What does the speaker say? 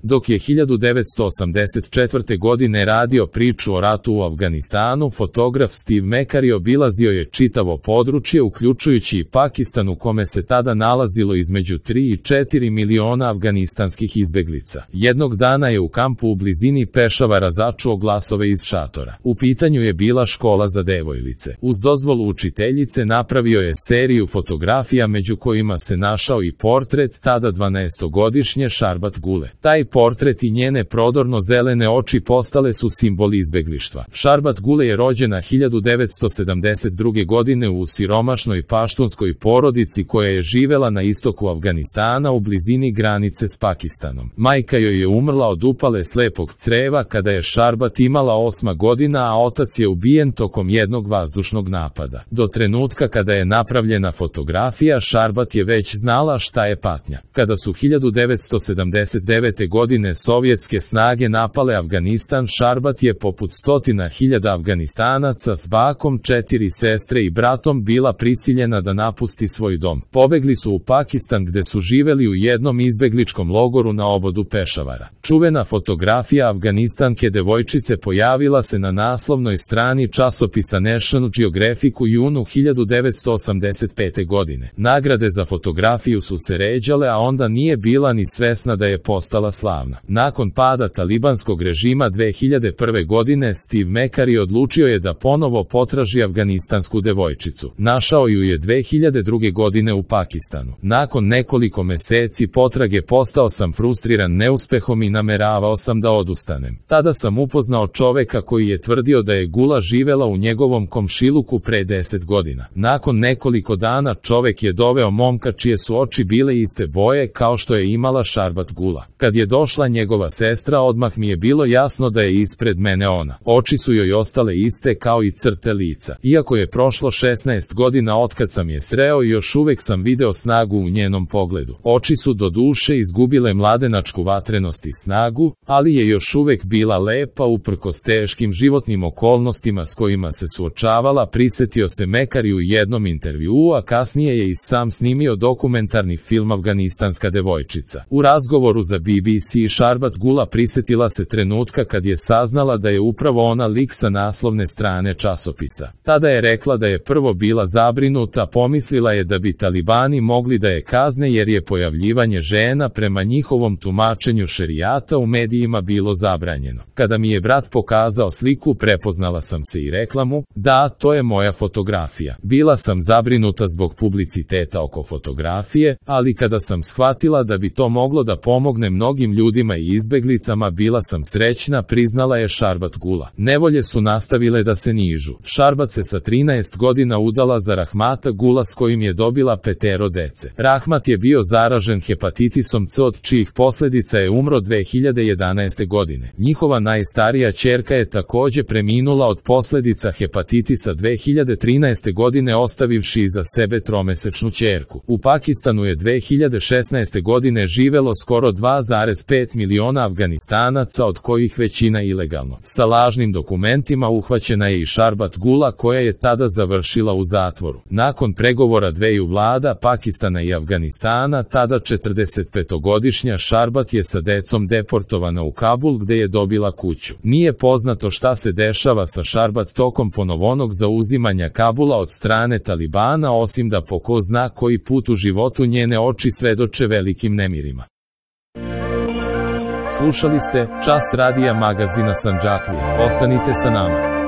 Dok je 1984. godine radio priču o ratu u Afganistanu, fotograf Steve McCurry obilazio je čitavo područje, uključujući i Pakistan u kome se tada nalazilo između 3 i 4 miliona afganistanskih izbeglica. Jednog dana je u kampu u blizini Pešavara začuo glasove iz šatora. U pitanju je bila škola za devojlice. Uz dozvolu učiteljice napravio je seriju fotografija među kojima se našao i portret tada 12-godišnje Sharbat Gule. Taj portret i njene prodorno zelene oči postale su simbol izbeglištva. Sharbat Gule je rođena 1972. godine u siromašnoj paštunskoj porodici koja je živela na istoku Afganistana u blizini granice s Pakistanom. Majka joj je umrla od upale slepog creva kada je Sharbat imala 8 godina, a otac je ubijen tokom jednog vazdušnog napada. Do trenutka kada je napravljena fotografija, Sharbat je već znala šta je patnja. Kada su 1979. godine sovjetske snage napale Afganistan, Sharbat je poput 100.000 Afganistanaca s bakom, 4 sestre i bratom bila prisiljena da napusti svoj dom. Pobegli su u Pakistan gde su živeli u jednom izbegličkom logoru na obodu Pešavara. Čuvena fotografija Afganistanke devojčice pojavila se na naslovnoj strani časopisa National Geographic u junu 1985. godine. Nagrade za fotografiju su se ređale, a onda nije bila ni svesna da je postala slavna. Nakon pada talibanskog režima 2001. godine, Steve McCurry odlučio je da ponovo potraži afganistansku devojčicu. Našao ju je 2002. godine u Pakistanu. Nakon nekoliko meseci potrage postao sam frustriran neuspehom i nameravao sam da odustanem. Tada sam upoznao čoveka koji je tvrdio da je Gula živela u njegovom komšiluku pre 10 godina. Nakon nekoliko dana čovek je doveo momka čije su oči bile iste boje kao što je imala Sharbat Gula. Kad je došla njegova sestra, odmah mi je bilo jasno da je ispred mene ona. Oči su joj ostale iste kao i crte lica. Iako je prošlo 16 godina otkad sam je sreo, još uvek sam video snagu u njenom pogledu. Oči su do duše izgubile mladenačku vatrenost i snagu, ali je još uvek bila lepa uprkos teškim životnim okolnostima s kojima se suočavala, prisetio se McCurry u jednom intervjuu, a kasnije je i sam snimio dokumentarni film Afganistanska devojčica. U razgovoru za BBC Sharbat Gula prisetila se trenutka kad je saznala da je upravo ona lik sa naslovne strane časopisa. Tada je rekla da je prvo bila zabrinuta, pomislila je da bi talibani mogli da je kazne jer je pojavljivanje žena prema njihovom tumačenju šerijata u medijima bilo zabranjeno. Kada mi je brat pokazao sliku, prepoznala sam se i rekla mu, da, to je moja fotografija. Bila sam zabrinuta zbog publiciteta oko fotografije, ali kada sam shvatila da bi to moglo da pomogne mnogim ljudima i izbeglicama, bila sam srećna, priznala je Sharbat Gula. Nevolje su nastavile da se nižu. Sharbat se sa 13 godina udala za Rahmata Gula s kojim je dobila 5 dece. Rahmat je bio zaražen hepatitisom C, od čijih posledica je umro 2011. godine. Njihova najstarija ćerka je takođe preminula od posledica hepatitisa 2013. godine, ostavivši iza sebe 3-mesečnu ćerku. U Pakistanu je 2016. godine živelo skoro 2,5 miliona Afganistanaca, od kojih većina ilegalno. Sa lažnim dokumentima uhvaćena je i Sharbat Gula, koja je tada završila u zatvoru. Nakon pregovora dveju vlada, Pakistana i Afganistana, tada 45-godišnja Sharbat je sa decom deportovana u Kabul gde je dobila kuću. Nije poznato šta se dešava sa Sharbat tokom ponovnog zauzimanja Kabula od strane Talibana, osim da po ko zna koji put u životu njene oči svedoče velikim nemirima. Slušali ste Čas radija magazina Sandžaklija. Ostanite sa nama.